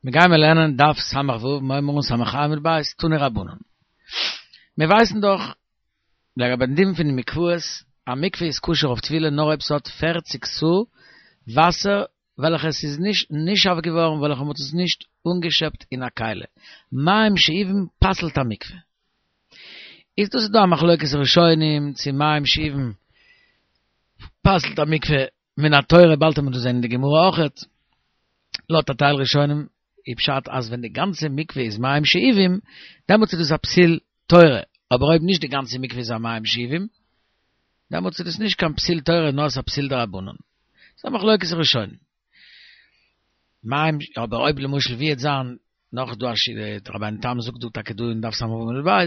מיר גיימער לערנען דף ס"ו, מ'הייבן אן ס"ה עמוד ב', תנו רבנן. מיר ווייסן דאך לגבי דעם דין פון די מקוואות, א מקווה איז כשר אויף טבילה נאר אויב ס'האט פערציג סאה וואסער וועלכע עס איז נישט נשאב געווארן וועלכע מ'האט עס נישט אנגעשעפט אין א כלי. מים שאובים פסל'ט א מקווה. איז דאס איז דא א מחלוקת ראשונים צו מים שאובים פסל'ט א מקווה מן התורה באלד וועט מען דאס זען אין די גמרא אויכעט, לויט א טייל ראשונים איז פשט אז ווען די גאנצע מקווה איז מים שאובים דעמאלטס איז דאס א פסול תורה, אבער אויב נישט די גאנצע מקווה איז א מים שאובים דעמאלטס איז דאס נישט קיין פסול תורה נאר עס איז א פסול דרבנן. ס'איז א מחלוקת ראשונים. מים, אבער אויב למשל ווי עט זיין נאך דא א שיטה, רבינו תם זאגט דא טאקע דא אין דף ס"ו עמוד ב',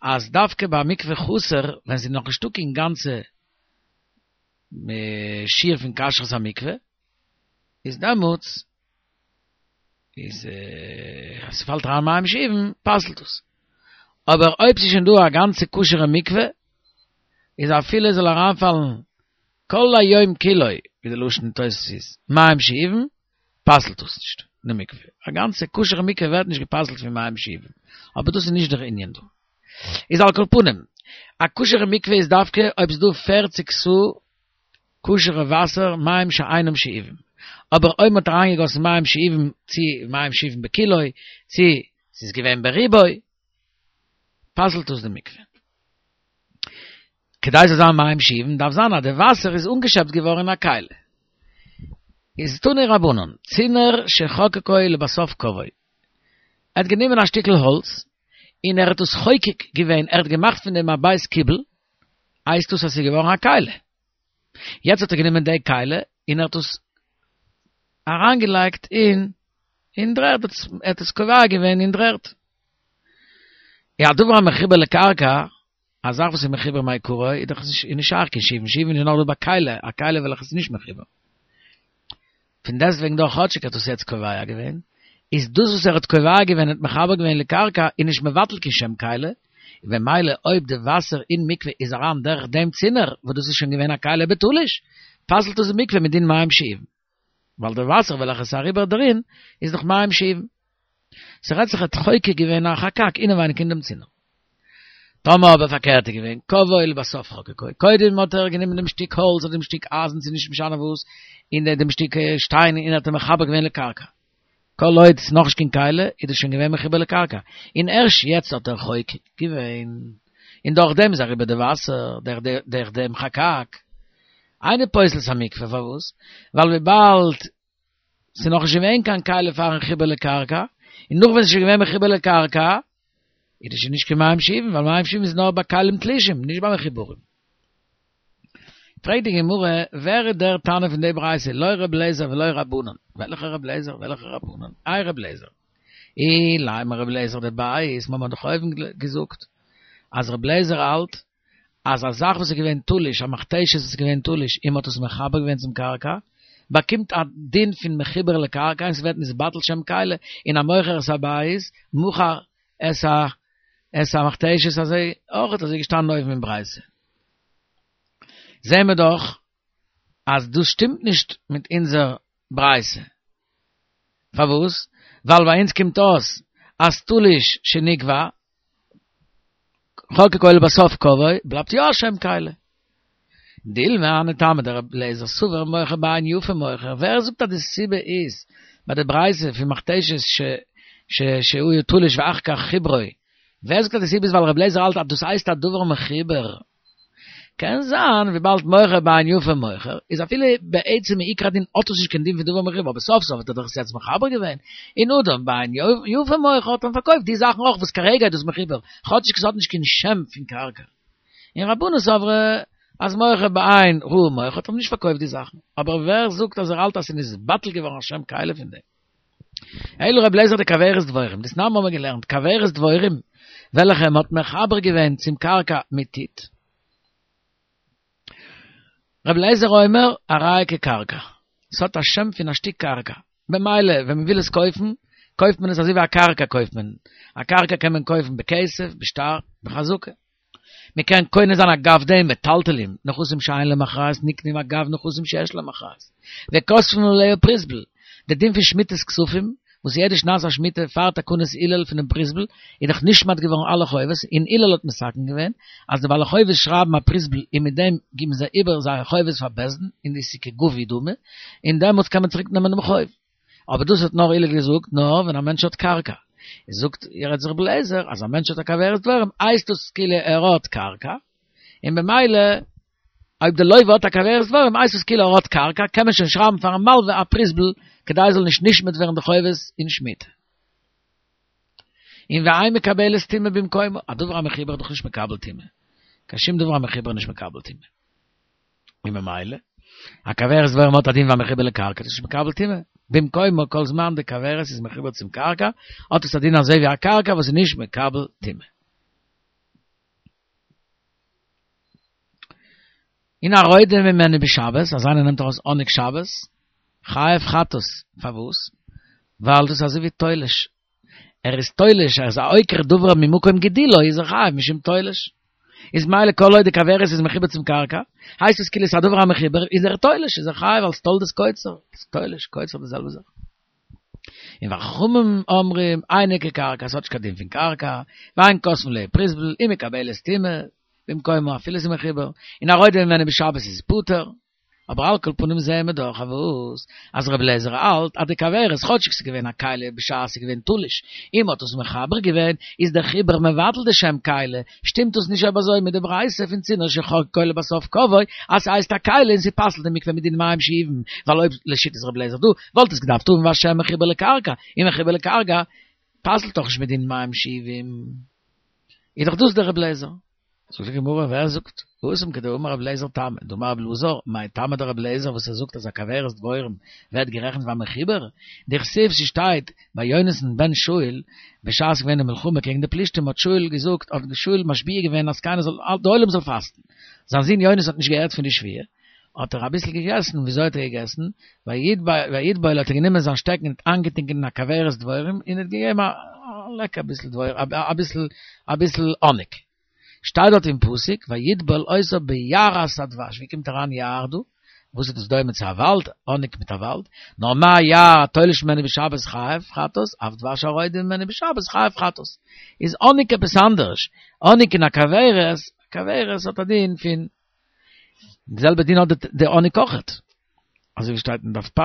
אז דווקא ביי א מקווה חסר ווען ס'איז נאכנישטא קיין גאנצע שיעור פון כשרות המקווה, איז דעמאלטס איז אז ס'פאלט אריין מים שאובים פסל'ט עס. אבער אויב ס'איז שוין דא א גאנצע כשר'ע מקווה, איז אפילו עס זאל אריינפאלן כל היום כולו, ווי די לשון אין תוס' איז, מים שאובים, פסל'ט דאס נישט די מקווה. א גאנצע כשר'ע מקווה ווערט נישט געפסל'ט פון מים שאובים. אבער דאס איז נישט דער ענין דא. איז על כל פנים, א כשר'ע מקווה איז דווקא אויב ס'איז דא פערציג סאה כשר'ע וואסער, מים שאינם שאובים. אבער אויב מ'האט אריינגעגאסן מים שאובים, צו מים שאובים בכולו, צו ס'איז געווען ברובו, פסל'ט דאס די מקווה. כדי ס'זאל זיין מים שאובים דארף זיין אז די וואסער איז אנגעשעפט געווארן אין א כלי. איז תנו רבנן, צינור שחקקו ולבסוף קבעו. ער האט גענומען א שטיקל האלץ און ער האט עס חוקק געווען, ער האט געמאכט פון דעם א בית קיבול, הייסט דאס אז ס'איז געווארן א כלי. יעצט האט ער גענומען די כלי און ער האט עס אריינגעלייגט אין אין דר'ערד, ער האט עס קובע געווען אין דר'ערד. יא, הדבר המחובר לקרקע, א זאך וואס איז מחובר מעיקרא איז דאך נישט איז נישט שייך קיין שאובין, שאובין איז נאר דא ביי כלי, א כלי וועלכע איז נישט מחובר. פון דעסטוועגן דאך כאטשיג האט עס יעצט קובע געווען, איז דאס וואס ער האט קובע געווען און מחבר געווען לקרקע איז נישט מבטל קיין שם כלי, און במילא אויב די וואסער אין מקווה איז אריין דורך דעם צינור וואס דאס איז שוין געווען א כלי בתלוש, פסל'ט עס די מקווה מדין מים שאובין. ווייל די וואסער וועלכע איז אריבער דערין איז דאך מים שאובין. ס'רעדט זיך ער האט חוקק געווען א חקק אינעווייניג אין דעם צינור. טאמער אבער פארקערט איז געווען קבעו ולבסוף חקקו, קודם האט ער גענומען דעם שטיק האלץ אדער דעם שטיק אייזן ס'איז נישט משנה וואס, און דעם שטיק שטיין און האט אים מחבר געווען לקרקע. כל עוד ס'איז נאכנישט קיין כלי איז דאס שוין געווען מחובר לקרקע, און ערשט יעצט האט ער חוקק געווען, און דורך דעם איז אריבער די וואסער, דורך דעם חקק. אינו פוסל את המקווה, פארוואס? ווייל וויבאלד ס'איז נאכנישט געווען קיין כלי פארן חיבור לקרקע, און נאך ווען ס'איז שוין געווען מחובר לקרקע, איז דאס שוין נישט קיין מים שאובין, ווייל מים שאובין איז נאר ביי כלים תלושים, נישט ביי מחוברים. פרעגט די גמרא, ווער איז דער תנא פון די ברייתא, לא ר' אליעזר ולא רבנן, וועלכע ר' אליעזר, וועלכע רבנן, איי ר' אליעזר, אילימא ר' אליעזר דבית, מ'האט דאך אויבן געזאגט אז ר' אליעזר האלט אז א זאך וואס איז געווען תלוש, א מכתשת וואס איז געווען תלוש און מ'האט עס מחבר געווען צום קרקע, באקומט א דין פון מחובר לקרקע און ס'ווערט נתבטל שם כלי, און המוכר את הבית מכר את ה את המכתשת אזוי אויך אזוי געשטאנען אויבן אין ברייתא. זעהן מיר דאך אז דאס שטימט נישט מיט אונזער ברייתא. פארוואס? ווייל ביי אונז קומט אויס אז תלוש שנקבע חקקו ולבסוף קבעו בלייבט יא א שם כלי. דילמא הני טעמא דרבי אליעזר סבר מוכר בעין יפה מוכר, ווער זאגט אז די סיבה איז ביי די ברייתא פון מכתשת ש ש שהוא תלוש ואחר כך חיברו, ווער זאגט אז די סיבה איז ווייל רבי אליעזר האלט אז דאס הייסט א דבר מחובר? קען זיין וויבאלד מוכר בעין יפה מוכר איז אפילו בעצם מעיקר הדין האט עס נישט קיין דין פון דבר מחובר אבער סוף סוף האט ער דאך עס יעצט מחבר געווען און אדם בעין יפה מוכר האט מען פארקויפט די זאכן אויך וואס כרגע איז דאס מחובר כאטשיג עס האט נישט קיין שם פון קרקע און רבנן סברי אז מוכר בעין רעה מוכר האט מען נישט פארקויפט די זאכן אבער ווער זאגט אז ער האלט אז ס'איז נתבטל געווארן א שם כלי פון דעם? אלא רבי אליעזר דכוורת דבורים, דתנן האבן מיר געלערנט, כוורת דבורים, וועלכע מען האט מחבר געווען צום קרקע מיט טיט. רבי אליעזר אומר, הרי כקרקע, ס'האט א שם פון א שטיק קרקע, במילא ווען מען וויל עס קויפן, קויפט מען עס אזוי ווי א קרקע קויפט מען, א קרקע קען מען קויפן בכסף, בשטר, בחזקה. מען קען קונה זיין אגב דעם מטלטלים, נכסים שאין להם אחריות נקנים אגב נכסים שיש להם אחריות. וכותבין עליה פרוזבול, די דין פון שמיטת כספים, וואס יעדע שנת השמיטה פאר תקנת הלל פונעם פרוזבול איז דאך נשמט געווארן אלע חובות, און הלל האט מתקן געווען אז די בעלי חובות שרייבן א פרוזבול און מיט דעם גיבן זיי איבער זייערע חובות פאר בית דין און דאס איז כגבוי דמי, און דעמאלטס קען מען צוריק נעמען דעם חוב. אבער דאס האט נאר הלל געזאגט נאר ווען א מענטש האט קרקע. איז זאגט יעצט רבי אליעזר אז א מענטש האט א כוורת דבורים הייסט דאס כאילו ער האט קרקע, און במילא אויב די לוה האט א כוורת דבורים הייסט עס כאילו ער האט קרקע, קען מען שוין שרייבן פארן מלווה א פרוזבול כדי עס זאל נישט נשמט ווערן די חובות אין שמיטה. און ואין מקבלת טומאה במקומה, א דבר המחובר איז דאך נישט מקבל טומאה, קיין שום דבר המחובר איז נישט מקבל טומאה. און ממילא, א כוורת דבורים האט א דין ווי א מחובר לקרקע, איז נישט מקבל טומאה במקומה כל זמן די כוורת איז מחובר צום קרקע, האט עס א דין אזוי ווי א קרקע וואס איז נישט מקבל טומאה. און הרודה ממנו בשבת, אז איינער נעמט ארויס האניג שבת, חייב חטאת, פארוואס? ווייל דאס איז אזוי ווי תולש, ער איז תולש, ער איז א עוקר דבר ממקום גידולו, איז ער חייב משום תולש. איז מילא כל עוד די כוורת איז מחובר צום קרקע, הייסט עס כאילו עס איז א דבר המחובר, איז ער תולש, איז ער חייב אלס תולדת קוצר, תולש, קוצר די זעלבע זאך. און וחכמים אומרים, אינה כקרקע, עס האט נישט קיין דין פון קרקע, ואין כותבין עליה פרוזבול, ומקבלת טומאה, במקומה אפילו עס איז מחובר, און הרודה ממנו בשבת איז פטור. אבער על כל פנים זעהן מיר דאך אז וואס? אז רבי אליעזר האלט אז די כוורת כאטשיג ס'איז געווען א כלי בשעת ס'איז געווען תלוש און מ'האט עס מחבר געווען איז דער חיבור מבטל די שם כלי, שטימט דאס נישט אויב אזוי מיט די ברייתא פון צינור שחקקו ולבסוף קבעו אז ס'הייסט א כלי און ס'פסל'ט די מקווה מדין מים שאובין ווייל אויב לשיטת רבי אליעזר דא וואלט עס געדארפט האבן א שם מחובר לקרקע און מחובר לקרקע פסל'ט דאך נישט מדין מים שאובין איז דאך דאס דער רבי אליעזר. זאגט די גמרא, ווער זאגט? התם כדאמר רבי אליעזר טעמא, דאמר רבי אלעזר, מאי טעמא דרבי אליעזר וואס ער זאגט אז א כוורת דבורים ווערט גערעכנט ווי א מחובר, דכתיב ס'שטייט ביי יונתן בן שאול בשעת ס'געווען די מלחמה קעגן די פלישתים האט שאול געזאגט האט שאול משביע געווען אז קיינער זאל די עולם זאל פאסטן, זיין זון יונתן האט נישט געהערט פון די שבועה האט ער אביסל געגעסן, וויאזוי האט ער געגעסן? ויטבול האט ער גענומען זיין שטעקן און האט איינגעטונקען אין א כוורת דבורים און האט געגעבן א לעק אביסל דבורים אביסל אביסל האניג. שטייט דארט אין פסוק ויטבול אותה ביערת הדבש, ווי קומט אריין יער דא? וואס איז דאס דומה צו א וואלד? האניג מיט א וואלד? נאר מה יער התולש ממנו בשבת חייב חטאת, אף דבש הרודה ממנו בשבת חייב חטאת. איז האניג עפעס אנדערש, האניג אין א כוורת, כוורת האט א דין פון די זעלבע דין האט די האניג אויכעט, אזוי ווי שטייט אין דף פ',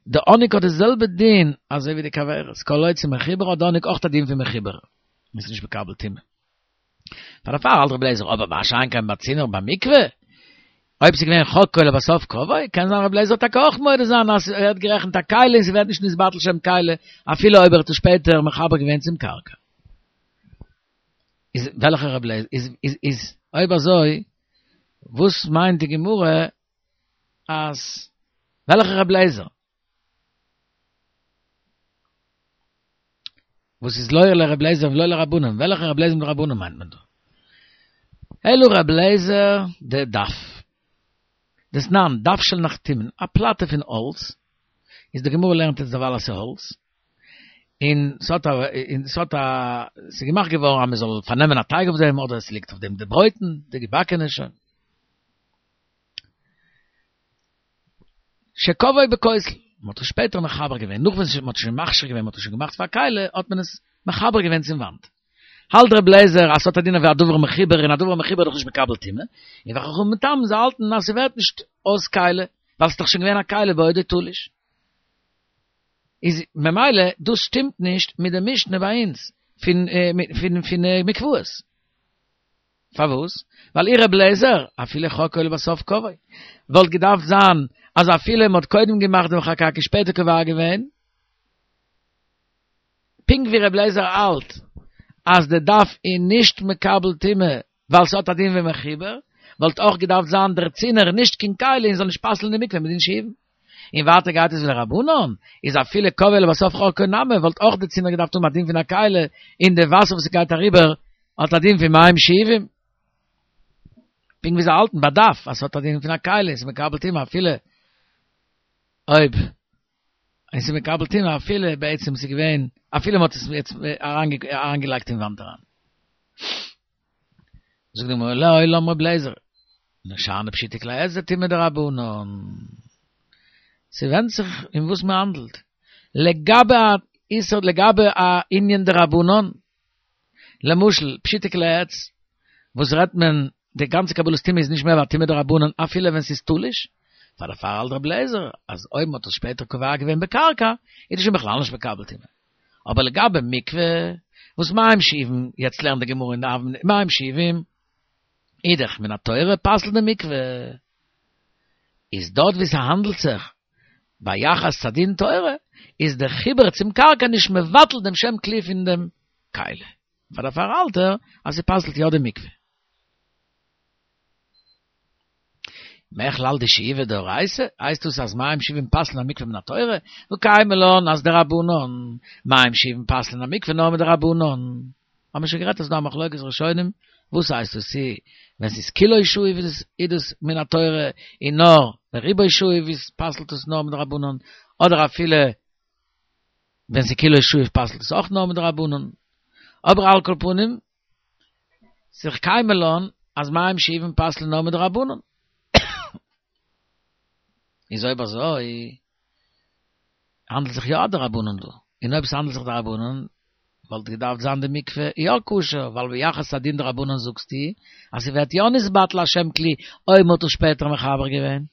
די האניג האט די זעלבע דין אזוי ווי די כוורת, כל עוד ס'מחובר האט די האניג אויך א דין פון מחובר, און ס'איז נישט מקבל טומאה. פאר דערפאר האלט רבי אליעזר אבער מה שאין כן ביי צינור ביי מקווה, אויב ס'איז געווען חקקו ולבסוף קבעו, קען זיין רבי אליעזר וועט טאקע אויך מודה זיין אז ס'ווערט גערעכנט א כלי און ס'ווערט נישט נתבטל שם כלי אפילו אויב ער האט עס שפעטער מחבר געווען צום קרקע. איז וועלכע רבי אליעזר איז איז איז אויב אזוי וואס מיינט די גמרא אז וועלכע רבי אליעזר? וואס איז לא לרבי אליעזר ולא לרבנן וועלכע רבי אליעזר מיט רבנן מיינט מען דא? אלא רבי אליעזר דדף דתנן דף של נחתומין א פלאטע פון האלץ איז די גמרא לערנט אונז דערווייל אז ס'איז האלץ און ס'האט א און ס'האט א ס'איז געמאכט געווארן אז מ'זאל פארנעמען א טייג אויף דעם אדער ס'ליגט אויף דעם די ברויטן די געבאקענע שוין. שקבעו בכותל, מ'האט עס שפעטער מחבר געווען, נאך ווען מ'האט שוין מכשיר געווען, מ'האט עס שוין געמאכט פאר א כלי, האט מען עס מחבר געווען צום וואנט. האלט ר' לעזער אז ס'האט א דין ווי א דבר מחובר און א דבר מחובר איז דאך נישט מקבל טומאה, און וחכמים מטעמם זיי האלטן אז ס'ווערט נישט אויס כלי, ווייל ס'איז דאך שוין געווען א כלי בעודו תלוש. איז ממילא דאס שטימט נישט מיט די משנה ביי אונז פון פון פון מקוואות. פארוואס? ווייל אי ר' לעזער, אפילו חקקו ולבסוף קבעו, וואלט געדארפט זיין אז אפילו מ'האט קודם געמאכט דעם חקק און שפעטער קובע געווען, פונקט ווי ר' לעזער האלט אז די דף איז נישט מקבל טומאה ווייל ס'האט א דין ווי מחובר, וואלט אויך געדארפט זיין דער צינור נישט קיין כלי און זאל נישט פסל'ן די מקווה מדין שאובין. און ווייטער גייט עס ווי די רבנן, איז אפילו קבעו ולבסוף חקקו נמי, וואלט אויך די צינור געדארפט האבן א דין פון א כלי, און די וואסער וואס ס'גייט אריבער האט א דין פון מים שאובים. פונקט ווי זיי האלטן ביי דף אז ס'האט א דין פון א כלי און ס'איז מקבל טומאה אפילו אויב און ס'איז מקבל טומאה אפילו בעצם ס'איז געווען אפילו מ'האט עס יעצט אריינגעלייגט אין וואנט אריין. זאגט די גמרא לעולם ר' אליעזר, שאני פשוטי כלי עזר טומאה דרבנן. ס'ווענדט זיך אין וואס מ'האנדלט. לגבי א. איסור לגבי א ענין דרבנן, למשל פשיטי כלי עץ, וואס רעדט מען די גאנצע קבלת טומאה איז נישט מער ווי א טומאה דרבנן אפילו ווען ס'איז תלוש, פאר דערפאר האלט רבי אליעזר אז אויב מ'האט עס שפעטער קובע געווען בקרקע איז דאס שוין בכלל נישט מקבל טומאה. אבער לגבי מקווה, וואס מים שאובים, יעצט לערנט די גמרא אין די אבן מים שאובים, איז דאך מן התורה פסל'ט די מקווה. איז דארט ווי ס'האנדלט זיך ביחס צו א דין תורה, איז די חיבור צום קרקע נישט מבטל דעם שם כלי פון דעם כלי. פאר דערפאר האלט ער אז ס'פסל'ט יא די מקווה. מכלל דשאיבה דאורייתא, הייסט דאס אז מים שאובים פסל'ן א מקווה מן התורה? וקיימא לן אז דרבנן, מים שאובים פסל'ן א מקווה נאר מדרבנן. האבן מיר שוין גערעדט אז ס'דא א מחלוקת ראשונים, וואס הייסט דאס צו ווען ס'איז כולו שאוב איז דאס מן התורה און נאר ורובו שאוב איז פסל'ט עס נאר מדרבנן, אדער אפילו ווען ס'איז כולו שאוב פסל'ט עס אויך נאר מדרבנן. אבער על כל פנים, ס'איז קיימא לן אז מים שאובים פסל'ן נאר מדרבנן. איז אויב אזוי האנדלט זיך יא א דרבנן דא, און אויב ס'האנדלט זיך דרבנן וואלט געדארפט זיין די מקווה יא כשר, ווייל ביחס צו א דין דרבנן זאגסטו אז ס'ווערט יא נתבטל א שם כלי אויב מ'האט עס שפעטער מחבר געווען.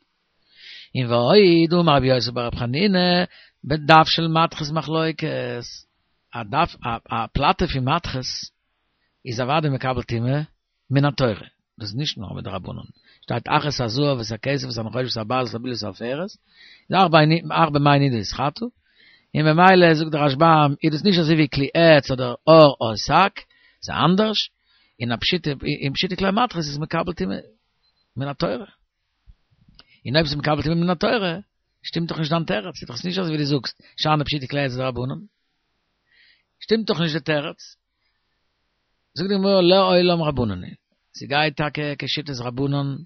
און ועוד אמר רבי יוסי בר רבי חנינא בדף של מתכות מחלוקת, א דף א פלאטע פון מתכות איז אוודאי מקבל טומאה מן התורה, דאס איז נישט נאר מדרבנן, שטייט אך את הזהב ואת הכסף ואת הנחושת ואת הברזל ואת הבליעה ואת העפרת, איז אך במי נידה יתחטא, און ממילא זאגט דער רשב"ם איז דאס נישט אזוי ווי כלי עץ אדער עור או שק, ס'איז אנדערש, און א פשוטע און פשוטע כלי מתכות איז מקבל טומאה מן התורה. און אויב ס'איז מקבל טומאה מן התורה, שטימט דאך נישט דיין תירוץ, איז דאך נישט אזוי ווי דו זאגסט, שאני פשוטי כלי עץ דרבנן. שטימט דאך נישט די תירוץ. זאגט די גמרא לעולם רבנן היא, ס'גייט טאקע כשיטת רבנן,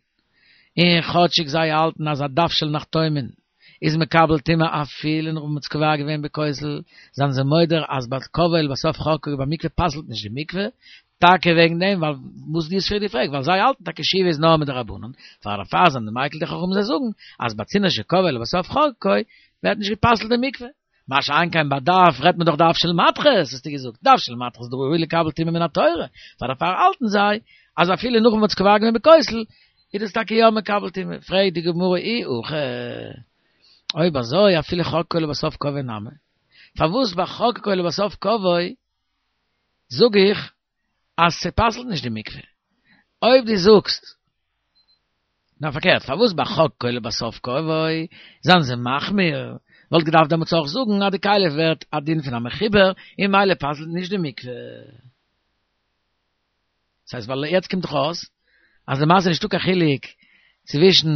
און כאטשיג זיי האלטן אז א דף של נחתומין איז מקבל טומאה אפילו נאך וואס מ'האט עס קובע געווען בכותל, זענען זיי מודה אז ביי קבעו ולבסוף חקקו ביי מקווה פסל'ט נישט די מקווה, טאקע וועגן דעם ווייל וואס דו האסט פריער געפרעגט ווייל זיי האלטן טאקע שאיבה איז נאר מדרבנן, פאר דערפאר זענען די מיקל די חכמים זיי זאגן אז ביי צינור שקבעו ולבסוף חקקו ווערט נישט גע'פסל'ט די מקווה. מה שאין כן ביי דף רעדט מען דאך דף של מתכות, האסטו געזאגט, דף של מתכות דראוי לקבל טומאה מן התורה, פאר דערפאר האלטן זיי אז אפילו נאך ווען מ'האט עס קובע געווען בכותל איז דאס טאקע יא מקבל טומאה, פרעגט די גמרא אי הכי, אויב אזוי אפילו חקקו ולבסוף קבעו נמי, פארוואס ביי חקקו ולבסוף קבעו זאג איך אז ס'פסל'ט נישט די מקווה? אויב דו זאגסט נאר פארקערט, פארוואס ביי חקקו ולבסוף קבעו זענען זיי מחמיר, וואלט געדארפט דעמאלטס אויך זאגן אז די כלי ווערט א דין פון א מחובר און ממילא פסל'ט נישט די מקווה. ס'הייסט ווייל יעצט קומט דאך אויס אז למעשה נישטא קיין חילוק צווישן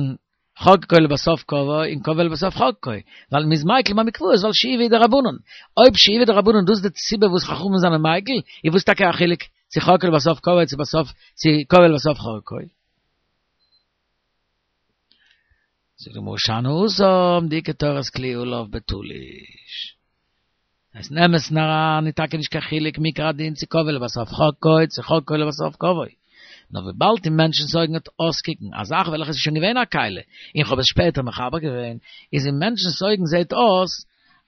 חקקו ולבסוף קבעו און קבעו ולבסוף חקקו, ווייל מ'איז מיקל ביי מקוואות ווייל שאיבה איז דרבנן. אויב שאיבה דרבנן דאס איז די סיבה וואס חכמים זענען מיקל, איז וואס טאקע א חילוק צו חקקו ולבסוף קבעו צו בסוף צו קבעו ולבסוף חקקו? זאגט די גמרא שאני התם דאיכא תורת כלי עליו בתלוש. אז אין אמת'ן אריין איז טאקע נישט קיין חילוק מעיקר הדין צו קבעו ולבסוף חקקו צו חקקו ולבסוף קבעו. נאר וויבאלד אין מענטשנ'ס אויגן וועט אויסקוקן א זאך וועלכע איז שוין געווען א כלי און כ'האב עס שפעטער מחבר געווען, איז אין מענטשנ'ס אויגן זעהט אויס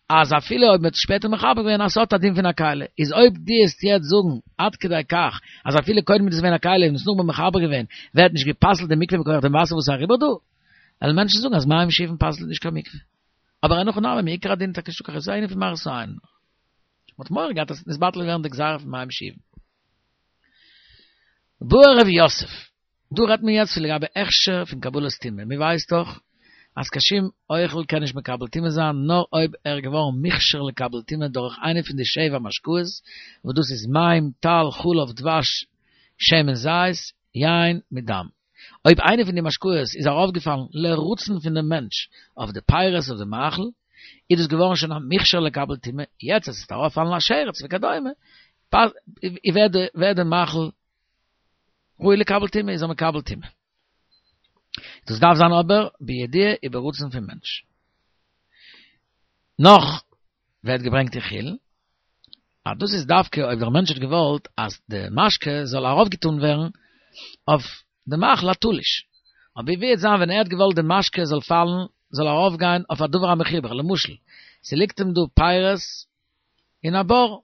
אז אפילו אויב מ'האט עס שפעטער מחבר געווען אז ס'האט א דין פון א כלי, איז אויב דו וועסט יעצט זאגן עד כדי כך אז אפילו קודם איז עס געווען א כלי און עס נאכדעם מחבר געווען ווערט נישט גע'פסל'ט די מקווה מכח דעם וואסער וואס איז אריבער דא, וועלן מענטשן זאגן אז מים שאובין פסל'ט נישט קיין מקווה. אבער אין הכי נמי מעיקר הדין טאקע נישטא קיין חילוק, ס'איז איינע פון מראית העין. מ'האט מורא געהאט אז ס'וועט נתבטל ווערן די גזירה פון מים שאובין. בעי רב יוסף, דא רעדט מען יעצט פון לגבי הכשר פון קבלת טומאה, מען ווייסט דאך אז קיין שום אוכל קען נישט מקבל טומאה זיין נאר אויב ער איז געווארן מוכשר לקבל טומאה דורך איינע פון די שבע משקאות, וואס דאס איז מים, טל, חלב, דבש, שמן זית, יין, מיט דם. אויב איינע פון די משקאות איז ארויפגעפאלן לרצון פון דעם מענטש אויף די פירות אויף די מאכל, איז דאס געווארן שוין א מוכשר לקבל טומאה, יעצט אז עס וועט ארויפפאלן א שרץ וכדומה, ווערט די מאכל ראוי לקבל טומאה איז ער מקבל טומאה. דאס דארף זיין אבער בידיעה וברצון פון מענטש. נאך ווערט געברענגט אין חולין, אז דאס איז דווקא אויב דער מענטש האט געוואלט אז די משקה זאל ארויפגעטאן ווערן אויף די מאכל התלוש. אבער ווי וועט זיין ווען ער האט געוואלט די משקה זאל פאלן, זאל ארויפגיין אויף א דבר המחובר, למשל, ס'ליגט אים דא פירות. אין א בור.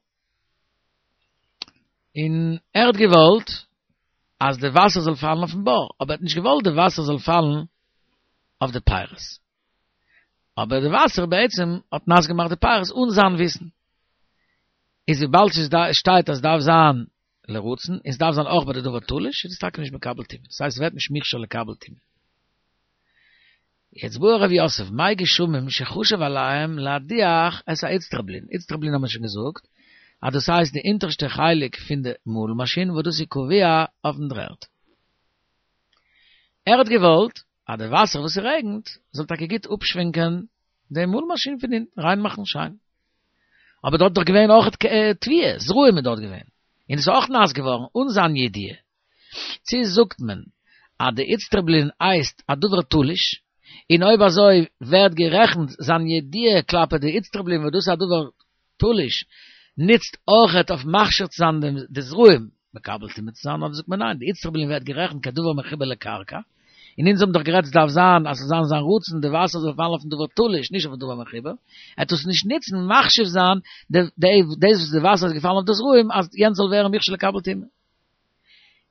און ער האט געוואלט אז די וואסער זאל פאלן אויפן בור, אבער ער האט נישט געוואלט די וואסער זאל פאלן אויף די פירות. אבער די וואסער בעצם האט נאס געמאכט די פירות אן זיין וויסן. איז וויבאלד ס'שטייט אז ס'דארף זיין לרצון, און ס'דארף זיין אויך ביי די דבר תלוש, איז עס טאקע נישט מקבל טומאה. דאס הייסט ס'ווערט נישט מוכשר לקבל טומאה. יעצט בעי רב יוסף, מי גשמים שחשב עליהם להדיח את האיצטרובלין, איצטרובלין האבן מיר שוין געזאגט אז דאס הייסט די אונטערשטע חלק פון די מאל מאשין וואס דאס איז קבוע אויפן דר'ערד. ער האט געוואלט אז די וואסער וואס ס'רעגנט זאל טאקע גוט אפשווענקען די מאל מאשין פון אונטן, ריין מאכן שיין. אבער דארט איז דאך געווען אויך תבואה, זרעים איז דארט געווען, און עס איז אויך נאס געווארן אן זיין ידיעה. צי זאגט מען אז די איצטרובלין הייסט א דבר תלוש, און אויב אזוי ווערט גערעכנט זיין ידיעה כלפי די איצטרובלין וואס דאס איז א דבר תלוש, נוצט אויכעט אויף מכשיר צו זיין די זרעים מקבל טומאה צו זיין, אדער זאגט מען ניין, די איצטרובלין ווערט גערעכנט כדבר מחובר לקרקע, און אונז האבן דאך גערעדט ס'דארף זיין אז ס'זאל זיין זיין רצון די וואסער זאל פאלן אויפן דבר תלוש נישט אויפן דבר מחובר, ער טאר עס נישט נוצן מחשיב זיין דאס וואס די וואסער איז געפאלן אויף די זרעים אז יענץ זאל ווערן מוכשר לקבל טומאה.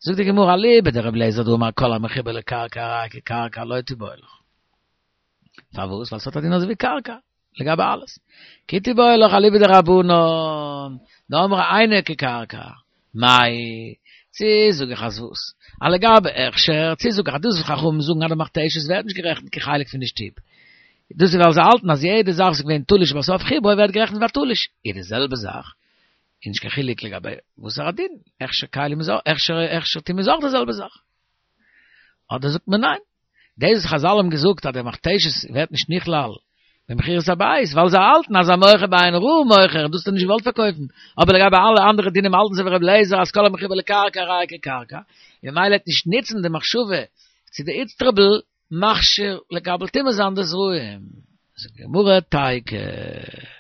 זאגט די גמרא אליבא דרבי אליעזר דאמר כל המחובר לקרקע הרי כקרקע לא תיבעי לך. פארוואס? ווייל ס'האט א דין אזוי ווי קרקע, לגבי אלעס. כי תיבעי לך אליבא דרבנן, דאמרי אינו כקרקע. מאי, צו זאג איך אז וואס? אז לגבי הכשר, צו זאג איך אז דאס וואס חכמים זאגן אז די מכתשת ווערט נישט גערעכנט כחלק פון די שטוב. דאס איז ווייל זיי האלטן אז יעדע זאך וואס איז געווען תלוש ובסוף חיברו ווערט גערעכנט ווי א תלוש. איז די זעלבע זאך איז נישט קיין חילוק לגבי וואסערע דין, הכשר כלים איז אויך, הכשר הכשר טומאה איז אויך די זעלבע זאך. אדער זאגט מען ניין, דאס וואס חזל האבן געזאגט אז דער מכתשת ווערט נישט נכלל במכירת הבית, ווייל זיי האלטן אז המוכר בעין רעה מוכר, און דאס האט ער נישט געוואלט פארקויפן, אבער לגבי אלע אנדערע דינים האלטן זיי ווי רבי אליעזר אז כל המחובר לקרקע הרי כקרקע, און ממילא וועט נישט נוצן די מחשבה צו די איצטרובל מכשיר לקבל טומאה זיין די זרעים. זאגט די גמרא תיקו.